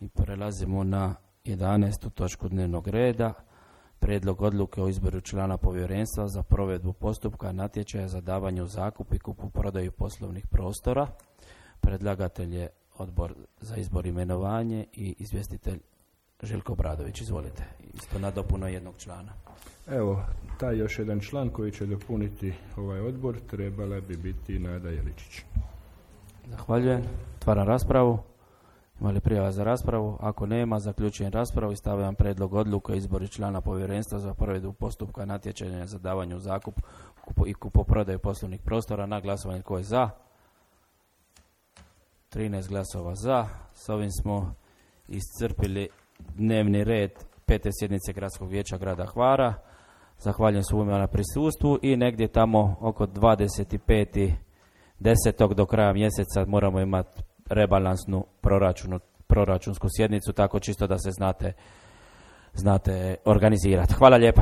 I prelazimo na 11. točku dnevnog reda. Prijedlog odluke o izboru člana povjerenstva za provedbu postupka natječaja za davanje u zakup i kupoprodaju poslovnih prostora. Predlagatelj je Odbor za izbor i imenovanje i izvjestitelj Željko Obradović. Izvolite. Isto nadopuna jednog člana. Evo, taj još jedan član koji će dopuniti ovaj odbor trebala bi biti Nada Jeličić. Zahvaljujem. Otvaram raspravu. Ima li prijava za raspravu? Ako nema, zaključujem raspravu i stavljam prijedlog odluke o izboru člana povjerenstva za provedbu postupka natječaja za davanje u zakup i kupoprodaju poslovnih prostora na glasovanje. Tko je za? 13 glasova za. S ovim smo iscrpili dnevni red 5. sjednice Gradskog vijeća grada Hvara. Zahvaljujem svima na prisustvu i negdje tamo oko 25.10. do kraja mjeseca moramo imati rebalansnu proračunsku sjednicu, tako čisto da se znate organizirati. Hvala lijepa.